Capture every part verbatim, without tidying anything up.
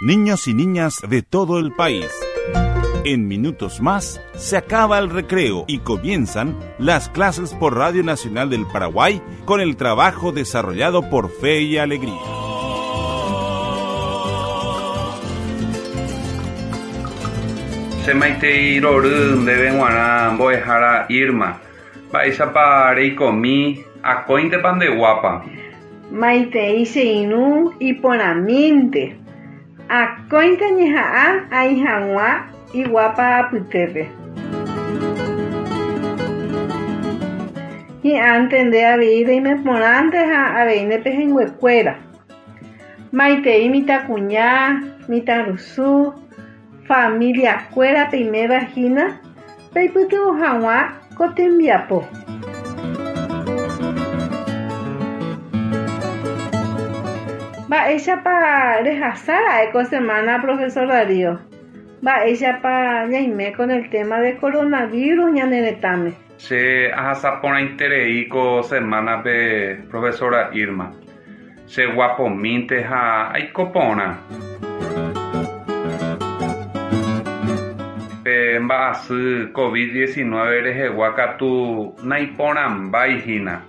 Niños y niñas de todo el país. En minutos más se acaba el recreo y comienzan las clases por Radio Nacional del Paraguay con el trabajo desarrollado por Fe y Alegría. Che maitei rory ndéve g̃uarã mbo'ehára Irma. Mba'éichapa reikomi akóintepa ndeguápa. Maitei che irũ iporãmínte. Akóinte añeha'ã aĩ hag̃ua iguápa apytépe. Hi'ãnte nde avei reimeporãnte ha avei ndepehẽnguekuéra. Maitei mitãkuña, mitãrusu, familiakuéra peiméva hína peipytyvõ hag̃ua ko tembiapo. Mba'éichapa rehasára'e ko semana, profesor Darío? Mba'éichapa ñaime con el tema de coronavirus ñane retãme? Che ahasaporãiterei ko semana-pe, profesora Irma. Cheguapomínte ha aikoporã. Pe mba'asy COVID diecinueve rehegua katu naiporãmbái hína.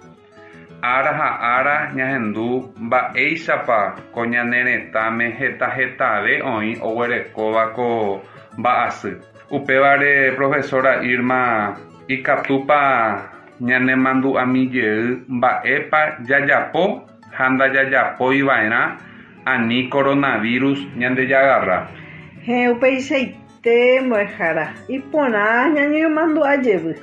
Ára ha ára ñahendu mba'éichapa ko ñane retãme hetahetave oĩ oguerekóva ko mba'asy. Upévare, profesora Irma, ikatúpa ñanemandu'amijey mba'épa jajapo ha ndajajapoiva'erã ani coronavirus ñandejagarra. He upeichaite mbo'ehára iporã ñañemandu'ajevy.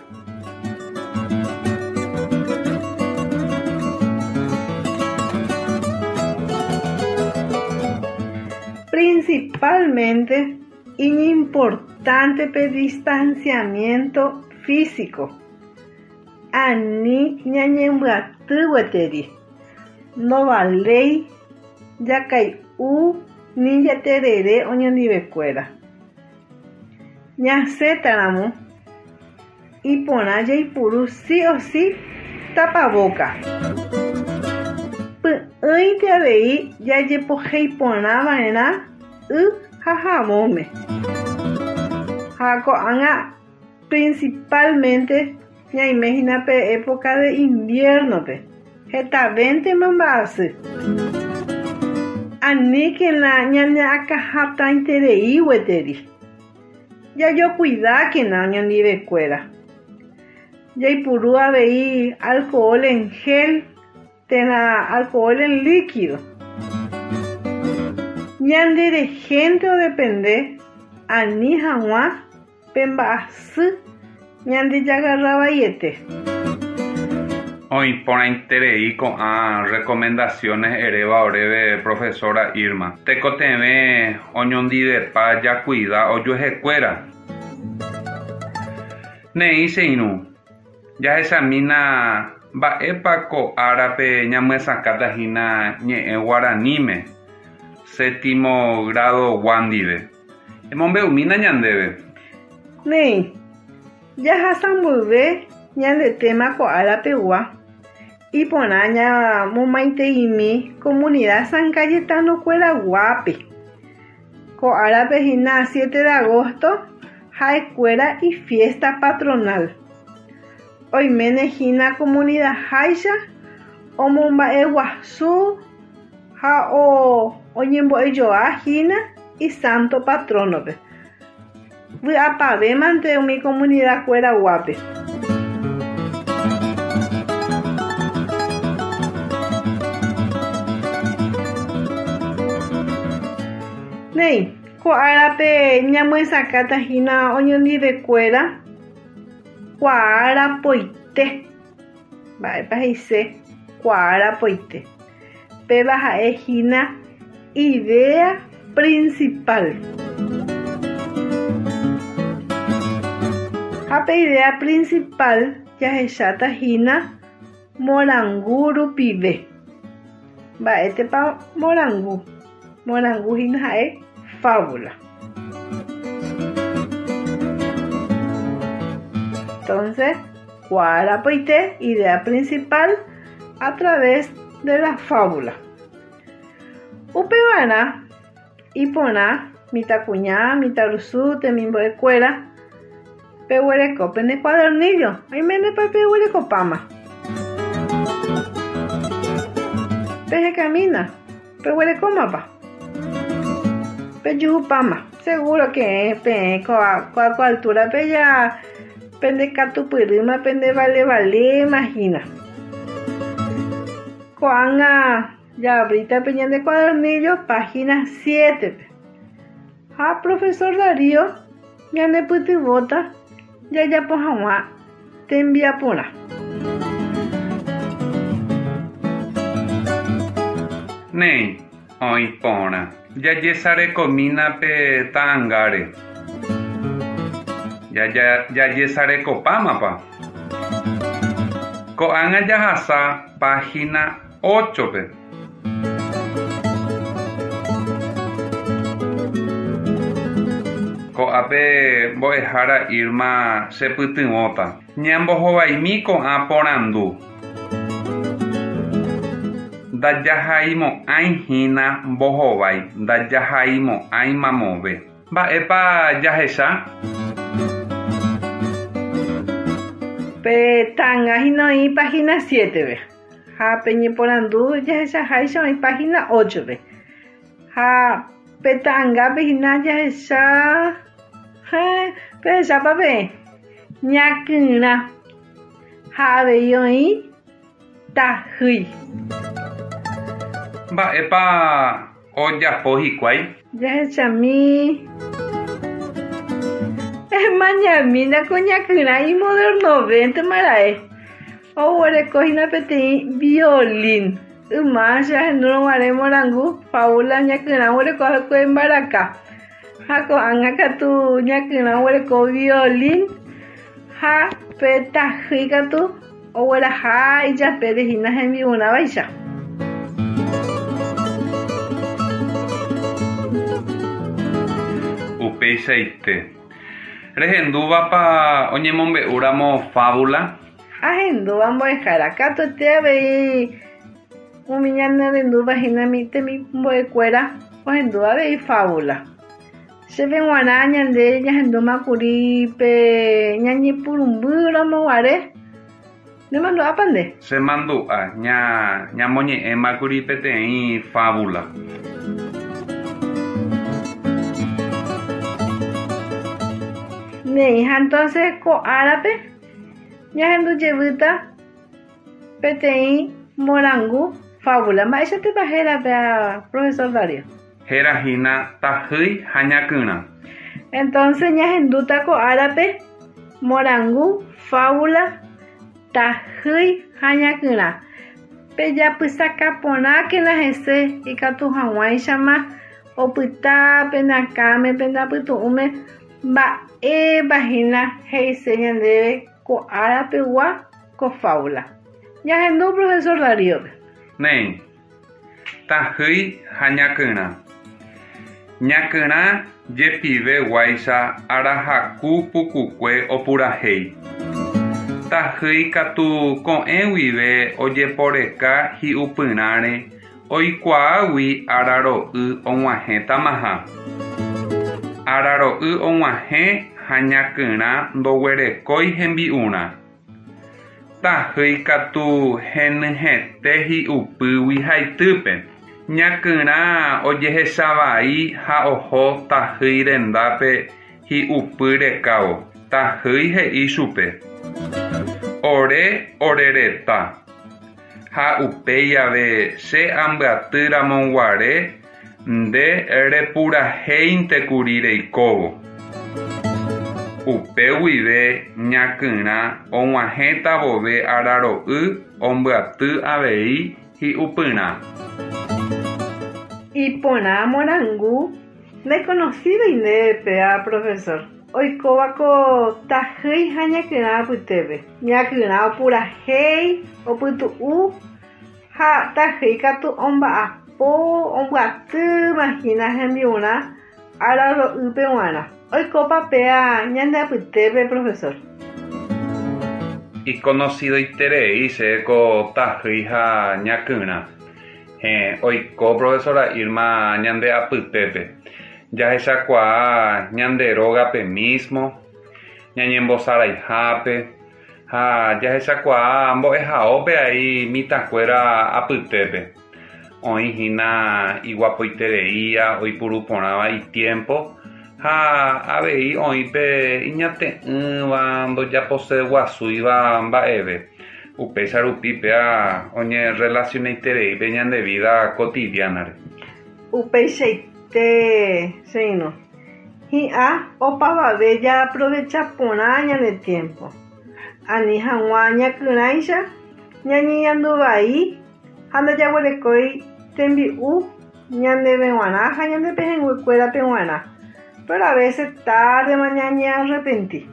Principalmente, iñimportante pe distanciamiento físico. Ani ñañembyaty gueteri. Ndovaléi jakai'u ni jaterere oñondivekuéra. Ñasẽtaramo iporã jaipuru sí o sí tapaboca. Py'ỹinte avei jajepoheiporãva'erã y ha havõme. Ha ko'ág̃a principalmente ñaime hína pe época de invierno-pe. Hetavéntema mba'asy. Aníkena ñaneakãhatãiterei gueteri. Jajokuidákena oñondivekuéra. Jaipuru avei alcohol en gel térã alcohol en líquido. Ñanderehénte odepende ani hag̃ua pe mba'asy ñandejagarravaiete. Oĩporãiterei ko'ã recomendaciones eréva oréve profesora Irma. Tekotevẽ oñondivepa jakuida ojuehekuéra. Neĩ che irũ, jahechamína mba'épa ko árape ñamyesakãta hína ñe'ẽ guaraníme séptimo grado gua ndive. Emombe'umína ñandéve. Neĩ, jahasa mboyve ñande tema ko árapegua iporã ñamomaiteimi comunidad San Cayetano-kueraguápe. Ko árape hína siete de agosto ha'ekuéra ifiesta patronal. Oiméne hína comunidad háicha omomba'eguasu ha o oñembo'ejoa hína isanto patrono-pe. Vy'apavémante umi comunidad kueraguápe. Néi, ko árape ñamyesakãta hína oñondivekuéra kuaarapoite. Mba'épa he'ise kuaarapoite. Péva ha'e hína idea principal. Ha pe idea principal jahecháta hína morangu rupive. Mba'étepa morangu? Morangu hína ha'e fábula. Entonces, kuaarapoite, idea principal a través de la fábula. Upevarã Iporã mitãkuña, mitãrusu, temimbo'ekuéra peguereko pene cuadernillo, oiménepa peguerekopáma. Pejekamína, peguerekómapa. Pejuhupáma. Seguro que peẽ ko'a ko altura-pe ja pendekatupyrýma pendevalevaléma hína. Ko'ág̃a jaabríta pe ñande cuadernillo página siete-pe. Ha profesor Darío ñanepytyvõta jajapo hag̃ua tembiaporã. Néi, oĩ porã. Jajesarekomína pe ta'ãngáre. Jajesarekopámapa. Ko'ág̃a jahasa página ocho-pe. Ko'ápe mbo'ehára Irma chepytyvõta. Ñambohovaimi ko'ã porandu. Ndajahaimo'ãihína mbohovái, ndajahaimo'ãi mamove. Mba'épa jahecha? Pe ta'ãnga hína oĩ página siete-pe. Ha pe ñeporandu jahechaháicha oĩ página ocho-pe. Ha pe ta'ãngápe hína jahecha pehechápa peẽ ñakyrã ha avei oĩ tahýi. Mba'épa ojapo hikuái? Jahechami emañamína ko ñakyrã imodernovéntema ra'e. Oguerekohína peteĩ violín. Yma che ahendúrõguare morangu fábula ñakyrã oguereko mbaraka. Ha ko'ág̃a katu ñakyrã oguereko violín ha pe tahýi katu ogueraha ijapére hína hembi'urãvaicha. Upeichaite. Rehendúvapa oñemombe'úramo fábula? Ahendúva mbo'ehára katuete avei umi ñanerendúva hína temimbo'ekuéra ohendúva avei fábula. Chéve g̃uarã ñande ñahendúmakuri pe ñañepyrũmbýramoguare. Nemandu'ápa nde? Chemandu'a ña ñamoñe'ẽmakuri peteĩ fábula. Néi ha entonces ko árape ñahendujevýta peteĩ morangu fábula. Mba'éichatepa hérape profesor Darío? Hérahína tahýi ha ñakyrã. Entonces ñahendúta ko árape morangu fábula tahýi ha ñakyrã. Pejapysakaporãkena hese ikatu hag̃uáichama opyta penakãme pendapytu'ũme mba'épa hína he'ise ñandéve ko árapegua ko fábula. Ñahendu profesor Darío-pe. Néi, tahýi ha ñakyrã. Ñakyrã jepiveguáicha arahaku pukukue opurahéi. Tahýi katu ko'ẽ guive ojeporeka hi'upyrãre oikuaágui araro'y og̃uahẽtamaha. Araro'y og̃uahẽ ha ñakyrã ndoguerekói hembi'urã. Tahýi katu henyhẽte hi'upýgui haitýpe. Ñakyrã ojehechavai ha oho tahýi rendápe hi'upy rekávo. Tahýi he'i chupe. Ore orereta. Ha upéi ave che ambyatýramoguare nde repurahéintekuri reikóvo. Upe guive ñakyrã og̃uahẽta vove araro'y ombyaty avei hi'upyrã. Iporã morangu ndeconocido ndéve a profesor. Oikóva ko tahýi ha ñakyrã apytépe. Ñakyrã opurahéi, opytu'u ha tahýi katu omba'apo, ombyatýma hína hembi'urã araro'ýpe g̃uarã. Oikópa péa ñande apytépe profesor. Iconocidoiterei chéve ko tahýi ha ñakyrã. Héẽ, oiko profesora Irma ñande apytépe. Jahechakuaa ñande rógape mismo, ñañembosaraihápe ha jahechakuaa mbo'ehaópe ai mitãkuéra apytépe. Oĩhína iguapoitereía oipuruporãva itiempo ha avei oĩ pe iñate'ỹva ndojaposeguasúiva mba'eve. Upéicha rupi péa oñerelacionaiterei pe ñande vida cotidiana-re. Upeichaite che irũ. Hi'ã opavave jaaprovecha porã ñane tiempo. Ani hag̃ua ñakyrãicha ñañeñanduvai ha ndajaguerekói tembi'u ñandéve g̃uarã ha ñande pehẽnguekuérape g̃uarã. Pero a veces tardema ñañearrepenti.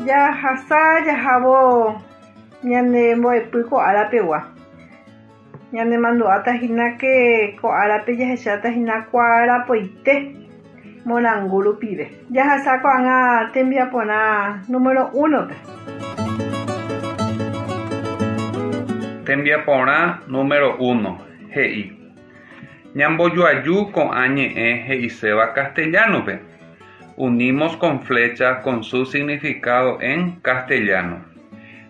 Jahasa jahávo ñane mbo'epy ko árapegua. Ñanemandu'átahína que ko árape jahechátahína kuarapoite morangu rupive. Jahasa ko'ág̃a tembiaporã número uno-pe. Tembiaporã número uno he'i ñambojoaju ko'ã ñe'ẽ he'iséva castellano-pe. Unimos con flecha con su significado en castellano.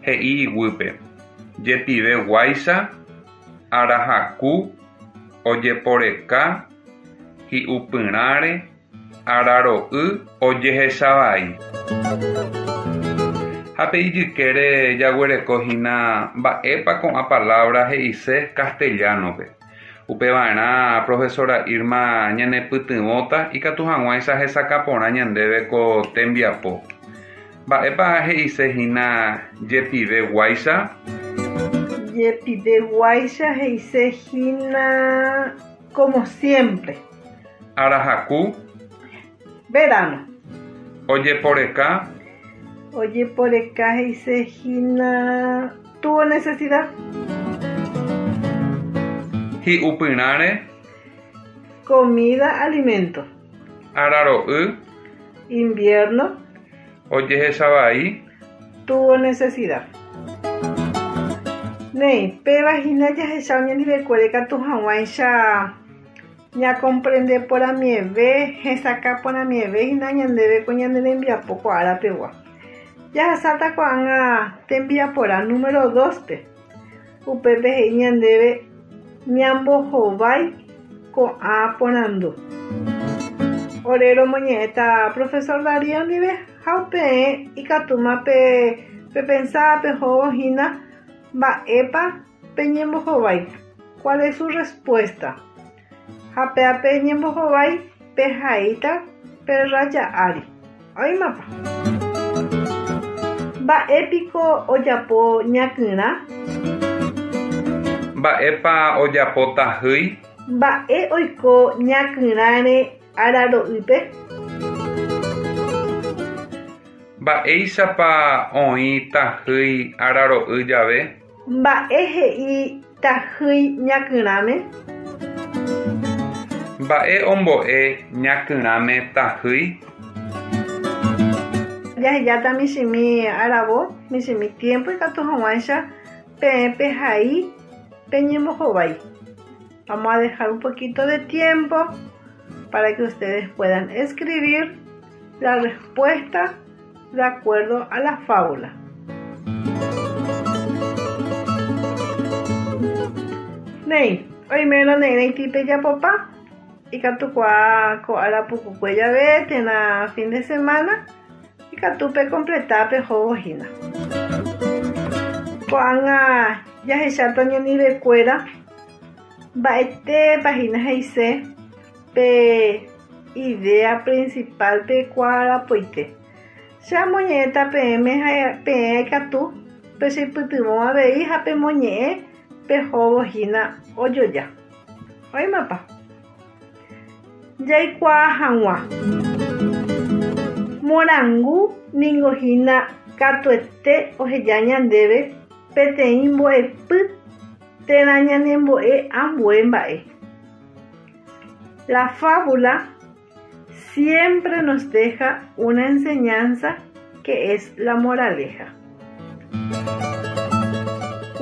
He'i iguýpe jepiveguáicha arahaku ojeporeka hi'upyrãre araro'y ojehechavai. Ha pe ijykére jaguerekohína mba'épa ko'ã palabra he'ise castellano-pe. Upeva'erã profesora Irma ñanepytyvõta ikatu hag̃uáicha hesakãporã ñandéve ko tembiapo. Mba'épa he'isehína jepiveguáicha? Jepiveguáicha he'isehína como siempre. Arahaku. Verano. Ojeporeka. Ojeporeka he'isehína tuvo necesidad. Hi'upyrãre. Comida, alimento. Araro'y. Invierno. Ojehechavai. Tuvo necesidad. Néi, péva hína jahecha oñandivekuére katu hag̃uáicha ñacomprende porãmieve hesakãporãmieve hína ñandéve ko ñane rembiapo ko árapegua. Jahasáta ko'ág̃a tembiaporã número dos-pe. Upépe he'i ñandéve ñambohovái ko'ã porandu. Ore romoñe'ẽta profesor Darío ndive ha upe ikatúma pe pepensá pehóvo hína mba'épa peñembohovái. ¿Cuál es su respuesta? Ha péape ñembohovái pehaíta pe raya ári. Oĩmapa. Mba'épiko ojapo ñakyrã? Mba'épa ojapo tahýi? Mba'e oiko ñakyrãre araro'ýpe? Mba'éichapa oĩ tahýi araro'y jave? Mba'e he'i tahýi ñakyrãme? Mba'e ombo'e ñakyrãme tahýi? Jahejáta michĩmi aravo, michĩmi tiempo ikatu hag̃uáicha peẽ pehai peñembohovái. Vamos a dejar un poquito de tiempo para que ustedes puedan escribir la respuesta de acuerdo a la fábula. Néi, oimérõ ne'írãiti pejapopa ikatukuaa ko ára pukukue jave térã fin de semana ikatu pecompleta pehóvo hína. Ko'ág̃a jahecháta oñandivekuéra mba'etépa hína he'ise pe idea principal pe kuarapoite. Che amoñe'ẽta peẽme ha peẽ ikatu pecheipytyvõ avei ha pemoñe'ẽ pehóvo hína ojoja. Oĩmapa. Jaikuaa hag̃ua. Morangu ningo hína katuete oheja ñandéve peteĩ mbo'epy térã ñanembo'e ambue mba'e. La fábula siempre nos deja una enseñanza que es la moraleja.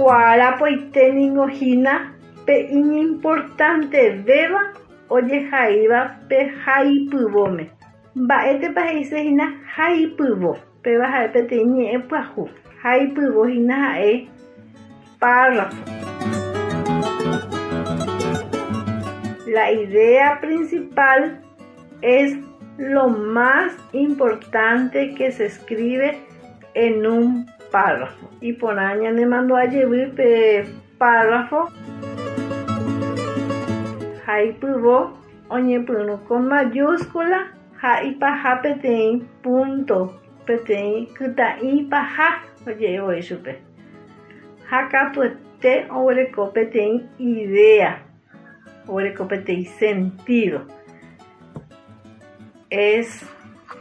Kuarapoite ningo hína pe iñimportantevéva ojehaíva pe haipyvóme. Mba'étepa he'ise hína haipyvo. Péva ha'e peteĩ ñe'ẽ pyahu. Haipyvo hína ha'e párrafo. La idea principal es lo más importante que se escribe en un párrafo. Iporã ñanemandu'a jevy pe párrafo haipyvo oñepyrũ con mayúscula ha ipaha peteĩ punto, peteĩ kyta'i paha oje'evoi chupe. Ha katuete oguereko peteĩ idea, oguereko peteĩ sentido. Es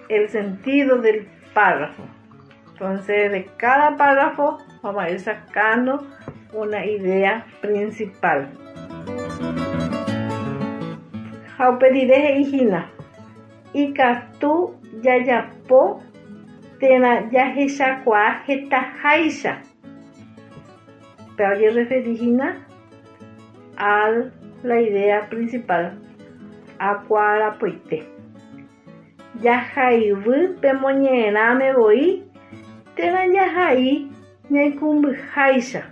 el sentido del párrafo. Entonces, de cada párrafo vamos a ir sacando una idea principal. Ha upe rire he'i hína ikatu jajapo térã jahechakuaa hetaháicha. Péva ojereferi hína a la idea principal akuarapoite. Jahaivy pe moñe'ẽrãme voi térã jahai ñaikũmbyháicha.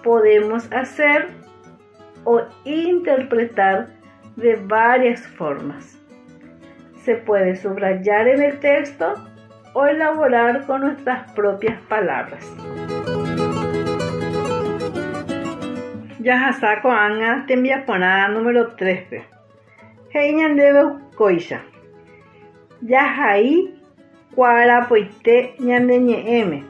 Podemos hacer o interpretar de varias formas. Se puede subrayar en el texto o elaborar con nuestras propias palabras. Jahasa ko'ág̃a tembiaporã número tres-pe. He'i ñandéve kóicha. Jahai kuarapoite ñane ñe'ẽme.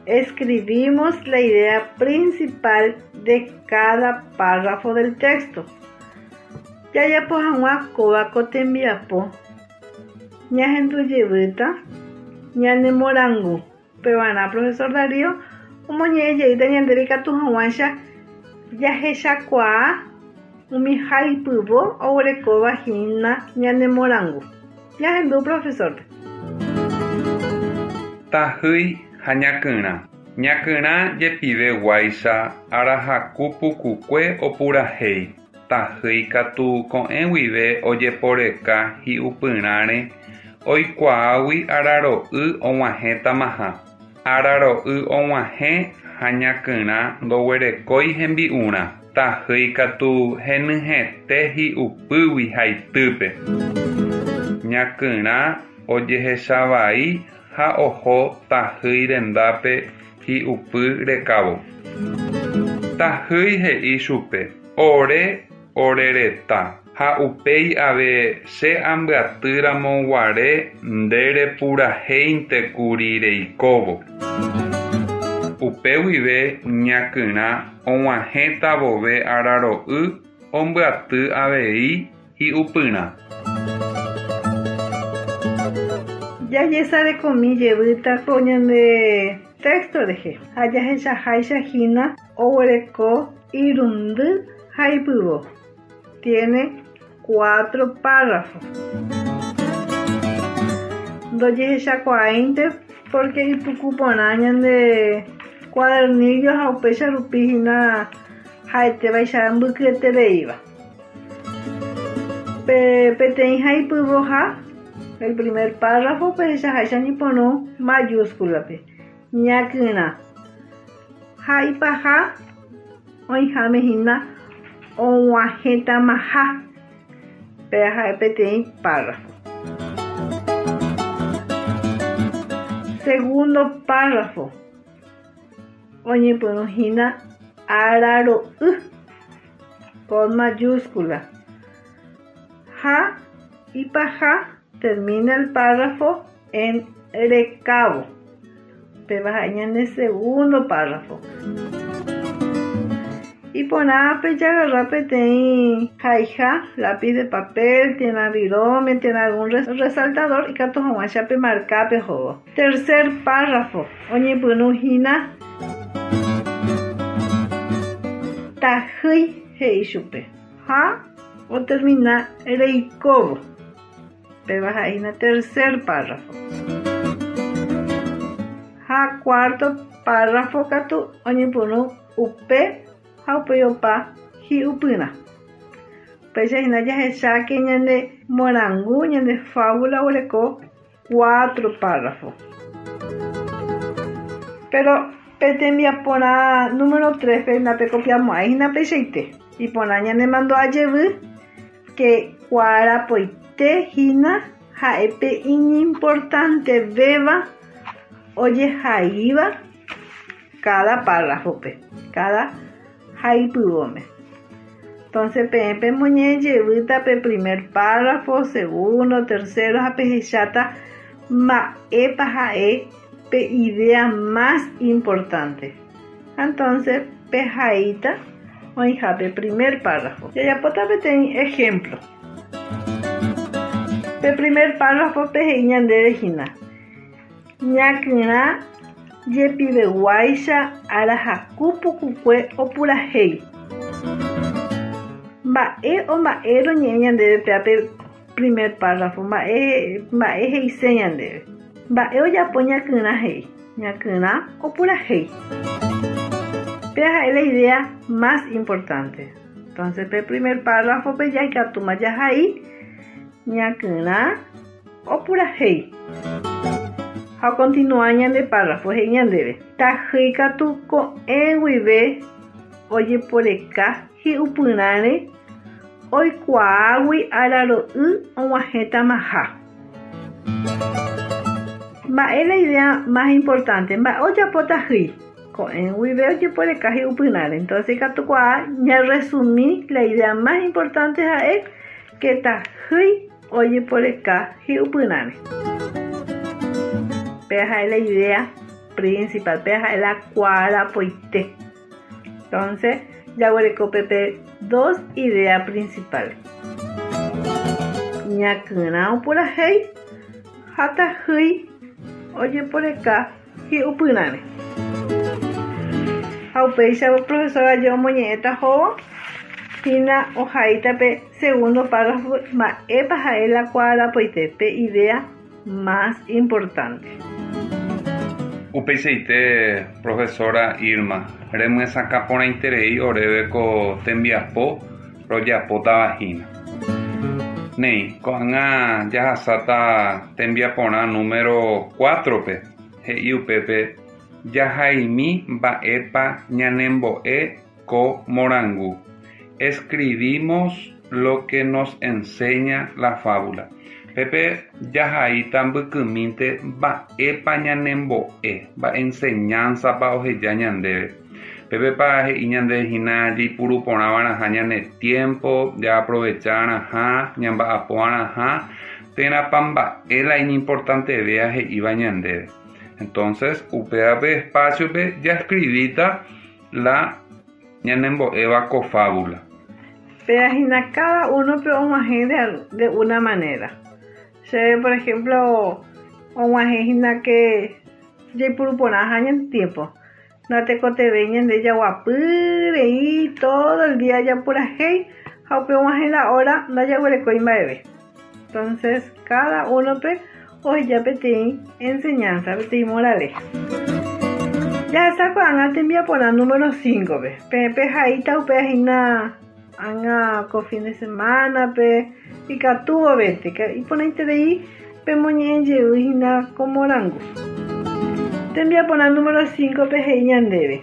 Escribimos la idea principal de cada párrafo del texto. Jajapo hag̃ua kóva ko tembiapo ñahendujevýta ñanemorangu. Pevarã profesor Darío omoñe'ẽjeýta ñandéve ikatu hag̃uáicha jahechakuaa umi haipyvo oguerekóva hína ñanemorangu. Ñahendu profesor-pe. Tahýi ha ñakyrã. Ñakyrã jepiveguáicha arahaku pukukue opurahéi. Tahýi katu ko'ẽ guive ojeporeka hi'upyrãre oikuaágui araro'y og̃uahẽtamaha. Araro'y og̃uahẽ ha ñakyrã ndoguerekói hembi'urã. Tahýi katu henyhẽte hi'upýgui haitýpe. Ñakyrã ojehechavai ha oho tahýi rendápe hi'upy rekávo. Tahýi he'i chupe ore orereta ha upéi ave che ambyatýramoguare nderepurahéintekuri reikóvo. Upe guive ñakyrã og̃uahẽta vove araro'y ombyaty avei hi'upyrã. Jajesarekomi jevýta ko ñande texto rehe ha jahechaháicha hína oguereko irundy haipyvo. Tiene cuatro párrafos. Ndojehechakuaáinte porque ipukuporã ñande cuadernillo ha upéicha rupi hína ha'etévaicha mbykyetereíva. Pe peteĩ haipyvoha el primer párrafo pehechaháicha ñepyrũ mayúscula-pe ñakyrã ha ipaha oĩháme hína og̃uahẽtamaha péva ha'e peteĩ párrafo. Segundo párrafo oñepyrũ hína araro'y con mayúscula ha ipaha termina el párrafo en rekávo. Péva ha'e ñane segundo párrafo. Iporã pejagarra peteĩ haiha, lápiz de papel, térã virome, térã algún resaltador ikatu hag̃uáicha pemarka pehóvo. Tercer párrafo oñepyrũ hína tahýi he'i chupe ha otermina reikóvo. Péva ha'e hína tercer párrafo. Ha cuarto Párrafo katu oñepyrũ upe ha upéi opa hi'upyrã. Upéicha hína jahecháke ñande morangu ñande fábula oguereko cuatro párrafo. Pero pe tembiaporã número tres-pe ndapekopiamo'ãi hína peichaite. Iporã ñanemandu'ajevy que kuarapoite hína ha'e iñimportantevéva ojehaíva cada párrafo-pe, cada haipyvóme. Entonces peẽ pemoñe'ẽjevýta pe primer párrafo, segundo, tercero ha pehecháta mba'épa ha'e pe idea más importante. Entonces pehaíta oĩhápe primer párrafo. Jajapóta peteĩ ejemplo. Pe primer párrafo-pe he'i ñandéve hína. Ñakyrã jepiveguáicha arahaku pukukue opurahéi. Mba'e o mba'e roñe'ẽ ñandéve péape primer párrafo, mba'e mba'e he'ise ñandéve. Mba'e ojapo ñakyrã he'i. Ñakyrã opurahéi. Péa ha'e la idea más importante. Entonces pe primer párrafo-pe jaikatúma jahai ñakyrã opurahéi. Ha continúa ñande párrafo he'i ñandéve. Tahýi katu ko'ẽ guive ojeporeka hi'upyrãre oikuaágui araro'y og̃uahẽtamaha. Mba'e la idea más importante? Mba'e ojapo tahýi? Ko'ẽ guive ojeporeka hi'upyrãre. Entonces ikatukuaa ñaresumi la idea más importante ha'e que tahýi ojeporeka hi'upyrãre. Péa ha'e la idea principal, péa ha'e la kuarapoite. Entonces, jaguereko pepe dos ideas principales. Ñakyrã opurahéi ha tahýi ojeporeka hi'upyrãre. Ha upéicha profesora omoñe'ẽta hóvo hína ohaíta pe segundo párrafo mba'épa ha'e la kuarapoite pe idea más importante. Upeichaite profesora Irma, remyesakã porãiterei oréve ko tembiapo rojapótava hína. Néi, ko'ág̃a jahasáta tembiaporã número cuatro-pe, he'i upépe jahaimi mba'épa ñanembo'e ko morangu. Escribimos lo que nos enseña la fábula. Pepe jahaíta mbykymínte mba'épa ñanembo'e, mba'e enseñanza-pa oheja ñandéve. Pepepa he'i ñande hína jaipuru porãva'erãha ñane tiempo, jaaprovecharãha, ñamba'apo'arãha, térãpa mba'e la iñimportantevéva he'íva ñandéve. Entonces, upévape espacio-pe jaescribíta la ñanembo'éva ko fábula. Péa hína cada uno pe og̃uahẽ de, de una manera. Se, por ejemplo, og̃uahẽ hína que jaipuru porãha ñande tiempo. Ndatekotevẽi ñande jaguapy rei todo el día japurahéi ha upe og̃uahẽ la hora ndajaguerekói mba'eve. Entonces, cada uno pe oheja peteĩ enseñanza, peteĩ moraleja. Jahasa ko'ág̃a tembiaporã número cinco-pe. Peẽ pehaíta upéva hína ág̃a ko fin de semana-pe ikatu vovete iporãiterei pemoñe'ẽjey hína ko morangu. Tembiaporã número cinco-pe he'i ñandéve.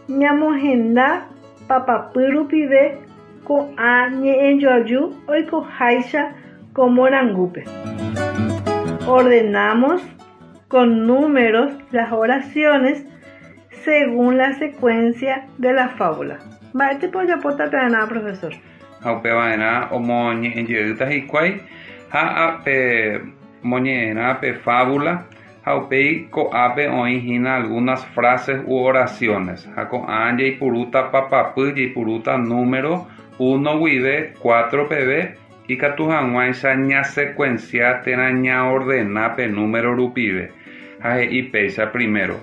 Ñamohenda papapy rupive ko'ã ñe'ẽjoaju oikoháicha ko morangúpe. Ordenamos con números las oraciones según la secuencia de la fábula. Mba'étepa ojapóta pe'arã, profesor? Ha upeva'erã omoñe'ẽjeýta hikuái ha pe moñe'ẽrã pe fábula ha upéi ko'ápe oĩ hína algunas frases u oraciones ha ko'ã jaipurúta papapy jaipurúta número uno guive cuatro peve ikatu hag̃uáicha ñasecuencia térã ñaordena pe número rupive ha he'i péicha primero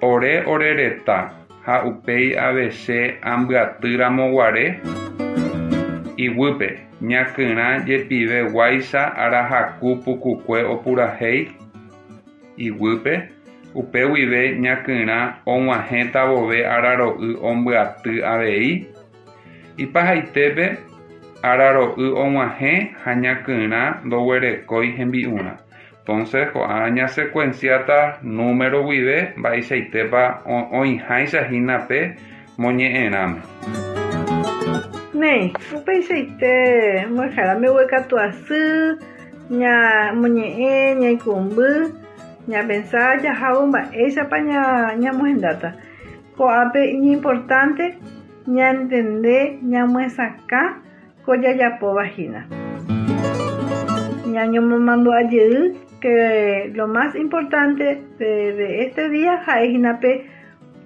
ore orereta ha upéi avese ambyatýramoguare iguýpe ñakyrã jepiveguáicha arahaku pukukue opurahéi iguýpe Upe guive ñakyrã og̃uahẽta vove araro'y ombyaty avei. Ipahaitépe araro'y og̃uahẽ ha ñakyrã ndoguerekói hembi'urã. Entonces, ko'ág̃a ñasecuenciáta número guive mba'eichaitépa oĩháicha hína pe moñe'ẽrãme. Néi, upeichaite mbo'ehára mbeguekatu asy, ñamoñe'ẽ, ñaikũmby, ñapensa jahávo mba'éichapa ñamohendáta. Ko'ápe iñimportante ñantende ñamyesakã ko jajapóva hína. Ñañomomandu'ajey que lo más importante de, de este día ha'ehína pe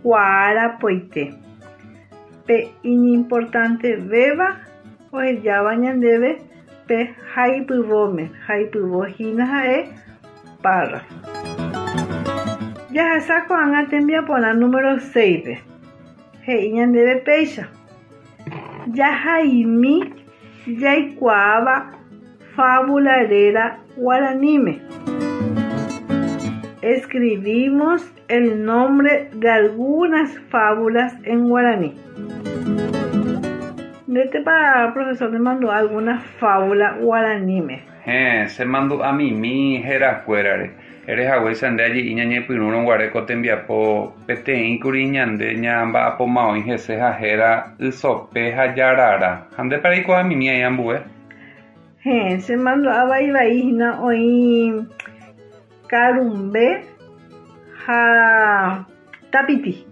kuaarapoite. Pe iñimportantevéva ohejáva ñandéve pe haipyvóme, haipyvo hína ha'e párrafo. Jahasa ko'ág̃a tembiaporã número seis-pe. He'i ñandéve péicha. Jahaimi jaikuaáva fábula réra guaraníme. Escribimos el nombre de algunas fábulas en guaraní. Ndétepa, profesor, nemandu'a alguna fábula guaraníme? Héẽ, chemandu'amimi herakuérare. Erehaguéicha nde aje'i ñañepyrũrõguare ko tembiapo peteĩkuri ñande ñamba'apóma oĩ hese ha héra Ysope ha Jarara. Ha ndépa reikuaamimi aĩ ambue? Héẽ, chemandu'a vaivai hína oĩ Karumbe ha Tapiti.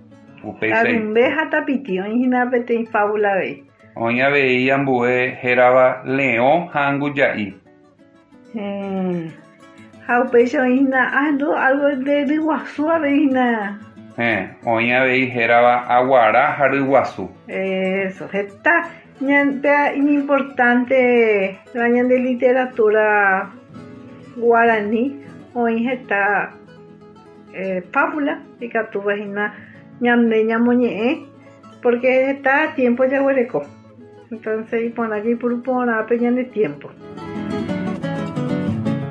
Upéicha Karumbe ha Tapiti oĩ hína peteĩ fábula avei. Oĩ avei ambue hérava Leõ ha Anguja'i. Héẽ. Ha upéicha oĩ hína ahendu algo de ryguasu avei hína. Héẽ, oĩ avei hérava Aguara ha Ryguasu. Eso, heta ñande iñimportante la ñande literatura guaraní oĩ heta eh, fábula ikatúva hína ñande ñamoñe'ẽ porque heta tiempo jaguereko. Entonces iporã jaipuru porã pe ñande tiempo.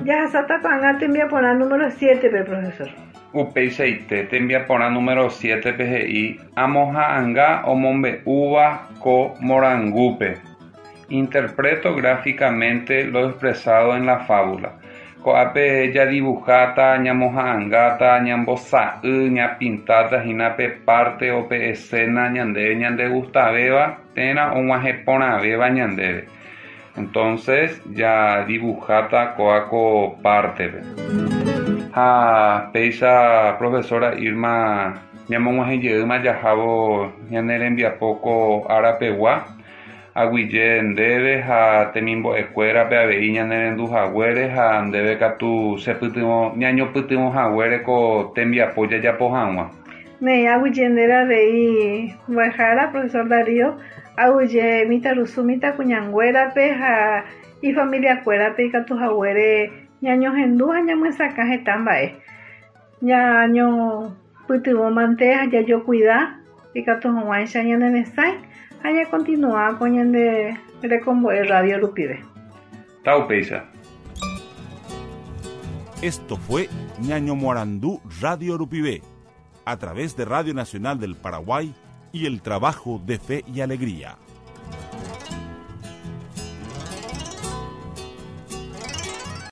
Jahasáta ko'ág̃a tembiaporã número siete-pe, profesor. Upeichaite tembiaporã número siete-pe he'i amoha'ãnga omombe'úva ko morangúpe. Interpreto gráficamente lo expresado en la fábula. Ko'ápe jadibujáta, ñamoha'ãngáta, ñambosa'y, ñapintáta hína pe parte o pe escena ñandéve ñandegustavéva térã og̃uahẽporãvéva ñandéve. Entonces, jadibujáta kóa ko parte-pe. Ha péicha profesora Irma ñamog̃uahẽjeýma jahávo ñane rembiapo ko árapegua aguyje ndéve ha temimbo'ekuérape avei ñanerenduhaguére ha ndéve katu chepytyvõ ñañopytyvõhaguére ko tembiapo jajapo hag̃ua. Néi, aguyje ndéve avei mbo'ehára, profesor Darío, aguyje mitãrusu mitãkuñanguérape ha ifamiliakuérape ikatuhaguére ñañohendu ha ñamyesakã heta mba'e. Ñañopytyvõmante ha jajokuida ikatu hag̃uáicha ñaneresãi ha ñakontinua ko ñande rekombo'e radio rupive. Taupéicha. Esto fue Ñañomoarandu Radio Rupive, a través de Radio Nacional del Paraguay y el trabajo de Fe y Alegría.